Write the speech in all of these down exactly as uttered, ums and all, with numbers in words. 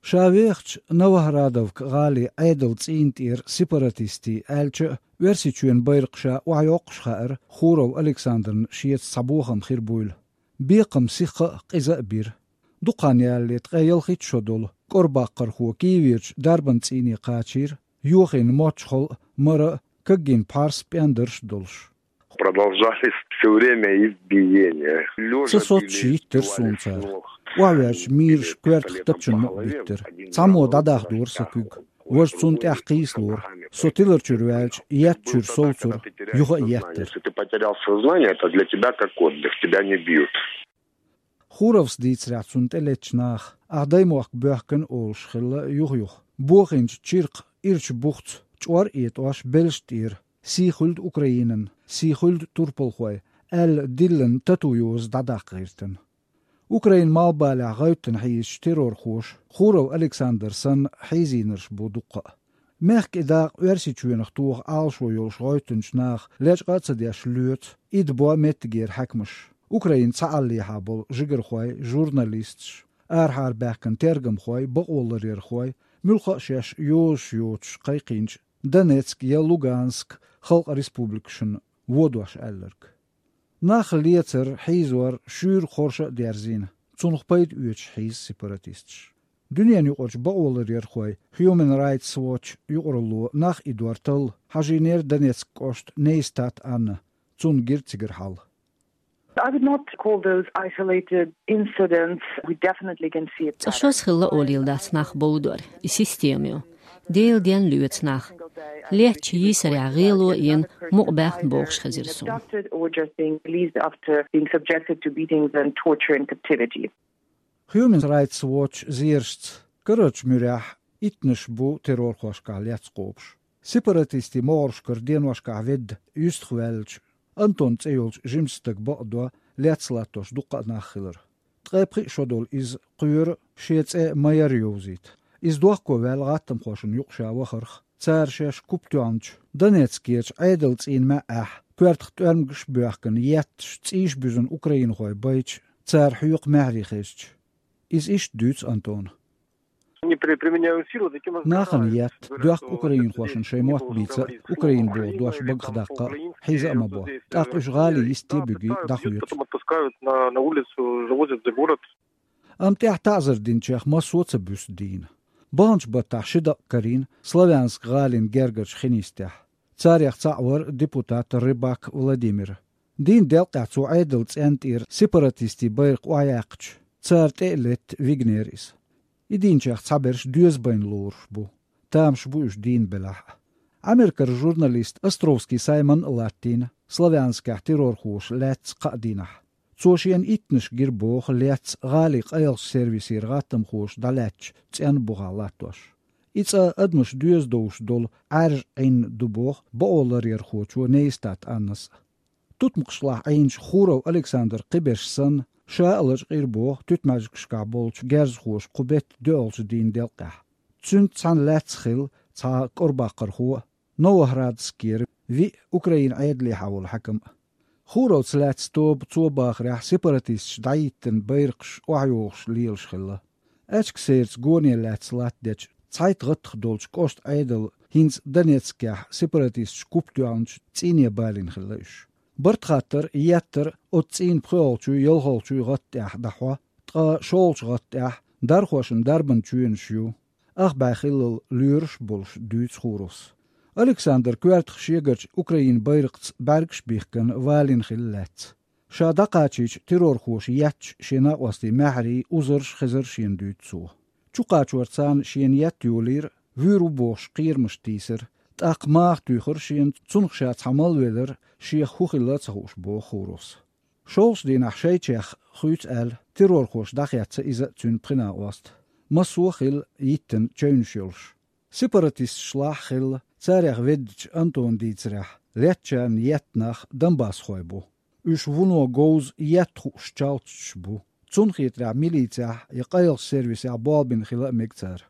Ша вехачу Новоградовка гӀалин Ӏедалан цӀийнан тӀера сепаратистийн аьлча а, Оьрсийчоьнан байракх ша охьайоккхуш хаьара Хуров Александрна шеца цхьа бохам хир буйла. Бекхам сихха а, къиза а бира. Дукха хан ялале, ткъе ялхитта шо долу кӀорбаккхархо Киеверчу дарбан цӀийне кхачийра, йохийна мочхол а, мара а, кагйина пхьарс а, пӀендарш а долуш. Продолжались все время избиения. Сан соццуш йиттира суна цара. Охьаваьлча мийраш коьртах тапчанна а биттира. Цхьаммо дӀадахдора сан куьг. Важа цунна тӀехь кхийсалора. Со тилар чуьра ваьлча, етта чуьра совцура, юха а еттара. Если ты потерял сознание, это для тебя как отдых, тебя не бьют. Хуровс дийцарехь, цунна тӀелеттачу наха, ахь даймохк боьхкина олуш хилла юха-юха. Бохийначу чиркха ирча бухца, чӀор а этӀош, белшаш тӀера: «Сий хуьлда Украинан, сий хуьлда турпалхой», аьлла, диллина тату йоза дӀадаккха гӀиртина. Украинан малхбалехь гӀевттина хьийзачу террорхоша Хуров Александр санна хьийзийнарш бу дуккха а. Мехкан и дакъа Оьрсийчоьнах тоха Ӏалашо йолуш гӀевттинчу наха лечкъа а ца деш лоьцу, идабо меттигера хьаькамаш. Украинан цхьааллехьа болу жигархой, журналисташ, арахьара баьхкина тергамхой, бакъоларъярхой, муьлхха а шаьш йозуш йоцуш кхайкхийначу Донецк я Луганск халкъан республикашна водош аьлларг. Нах лецар, хьийзор шуьйра хорша а дерзийна, цунах пайда оьцуш хьийза сепаратисташ. Дуьненан юкъарчу бакъоларъярхойн Human Rights Watch юкъаралло нах идор талла хьажийнера Донецк кӀоштан Нейстат Анна, цунна гира цигара хьал. I would not call those isolated incidents. We definitely can see a pattern. Цкъа шозза хилла олийла дац нах бовдор, и система ю. Делан денна лоьцу нах. Леттачу йийсарехь гӀело а йина, мукъабаьхна бохуш хезира суна. Abducted or just being released after being subjected to beatings and torture in captivity. Human Rights Watch зерашца, карарчу муьрехь иттанаш бу террорхошкахь лецна кхобуш. Сепаратистийн могӀаршкара деношкахь ведда юьстах ваьллачу Антон цӀе йолчу жимачу стага бакъдо лецна латтош дуккха а нах хилар. Ткъе пхиъ шо долу иза кхоьру шен цӀе ма-ярра йовзийта. Иза дохко ваьлла гӀаттамхошна юкъа ша вахарх, цара шаьш куп тоьхначу Донецкерчу Ӏедалан цӀийнан маьӀӀехь, коьртах тӀоьрмигаш а боьхкина, етташ, цӀийш буьзна украинхой байча, цара хьоькху маьхьарий хезча. Иза иштта дуьйцу Антона. Они при-, применяют силу таким образом. Нахана етта, доьхку украинхошна шайн мотт бийца а, Украина боху дош багах даккха а, хьийза а ма бо. ТӀаккха уьш гӀалин йисте а буьгий, дӀахоьцу. Потом отпускают на, на улицу, завозят за город. Амма тӀехь таӀзар динчех массо а ца буьсу дийна. Баханчу баттахь ши дакъа карийна Славянск гӀалин гергарчу хин йистехь. Царех цхьаъ вара депутат Рыбак Владимир. Дийнан делкъехь цо Ӏедалан цӀенна тӀера сепаратистийн байракх охьаяьккхича, цара тӀе а летта, вигнера иза. И дийначех цхьаберш доьза байна лоруш бу. Тамаш бу уьш дийна белахь а. Америкера журналист Островский Саймон а латтийна Славянскехь террорхоша лаьцна кхаа дийнахь. Цо шена иттанаш гира боху лецна гӀалин къайлахчу сервисера гӀаттамхоша дӀалаьцначу цӀенна бухахь латтош. И цӀа адамаш доьза довш долу Ӏаьржа Ӏин ду боху бакъоларъярхочо Нейстат Аннас а. Тутмакхашлахь Ӏийначу Хуров Александр кхиберш санна, ша а лачкъийра боху туьтмаьжгашкахь болчу герзахоша кху беттан доьалгӀачу дийнан делкъехь. Цуьнца цхьаьна лаьцна хилла цхьа кӀорбаккхархо а, Новоградскера виъ Украинан Ӏедалехьа волу хьаькам а. Хуровца лаьцна тоба, цо бахарехь, сепаратисташа дӀахӀиттина байракхаш охьайохуш лелаш хилла. Аьчка сайрца гоне лаьцна латтадечу цхьайтта гӀаттах долчу кӀоштан Ӏедало хӀинца Донецкехь сепаратисташа куп тоьхначу цӀийне балийна хилла уьш. Барт хаттар, еттар оцу цӀийнан пхоьалгӀачуй, ялхалгӀачуй гӀатта тӀехь дӀахьо, ткъа шолгӀачу гӀатта тӀехь дархошна дарбан чоьнаш ю. Ах бӀе хиллал лоьраш а болуш, дуьйцу Хуровс. Александр коьртах шегарчу Украинан байракхца бӀаьргаш а бихкина, валийна хилла лаьцна. Ша дӀакхачийча, террорхоша етташ шен накъостийн маьхьарий, узарш а хезара шена, дуьйцу цо. Чукхачорца царна шена етта йолийра, вуьйр ву бохуш кхерамаш тийсира, тӀаккха маха туьйхира шена, цунах ша цхьа мала велира, шех хӀун хилла а ца хууш, боху Хуровс. ШолгӀачу дийнахь шайчех хуьйцу аьлла, террорхоша дӀахецна иза а, цуьнан пхи накъост а. Массо а хилла йиттина чевнаш йолуш. Сепаратисташлахь а хилла, царех веддачу Антона дийцарехь, леттачарна етта нах донбассхой бу. Уьш вуно говза етта хууш чалтчаш бу. Цунна хетарехь, милицехь я къайлахчу сервисехь болх бина хила а мега цара.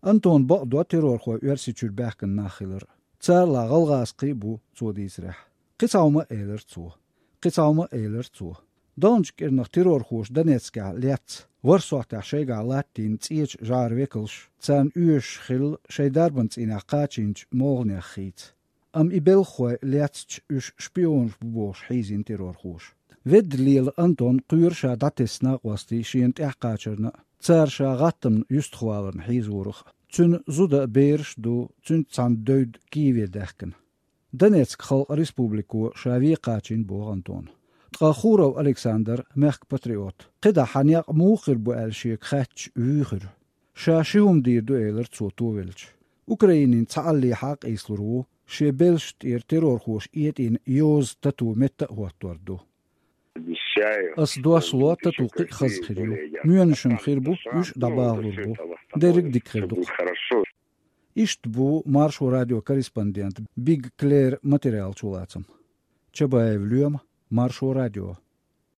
Антона бакъдо террорхой Оьрсийчуьра баьхкина нах хилар. Царалахь гӀалгӀазкхий а бу, цо дийцарехь. Кхин цхьа хӀума а элира цо. Кхин цхьа хӀума а элира цо. Долчу кӀирнах террорхоша Донецкехь лецна, ворхӀ сохьтехь шайгахь латтийна цӀечу жӀаран векалш, царна оьшуш хилла шайн дарбан цӀийнехь кхачийначу молханех хийца. Амма и белхахой лецча, уьш шпионаш бу бохуш хьийзийна террорхоша. Ведда лела Антон кхоьру ша дӀатесна накъостий шена тӀаьхьакхачарна а, цара ша гӀаттамна юьстахваларна хьийзорах а. Цуьнан зуда а, бераш а ду, цуьнца цхьаьна девдда Киеве даьхкина. Донецк халкъан республико ша вен кхачийна боху Антона. Ткъа Хуров Александр, мехкан патриот, кхидӀа хьан некъ муха хир бу аьлла шега хаьттича, вуьйхира. Ша ши хӀума дийр ду, элира цо, товелча. Украинин цхьаалле хьакъ ийслур ву, шен белшна тӀера террорхоша этӀийна йоза тату метта а хӀоттор ду. Ас дош ло, тату кхин а хаза хир ю. Моьнаш-м хир бу, уьш а дӀабахалур бу. Дерриг а дика хир ду-кх. Иштта бу Маршо радион корреспондент Биг Клэр материалан чулацам. Чабаев Лоьма, Маршо радио.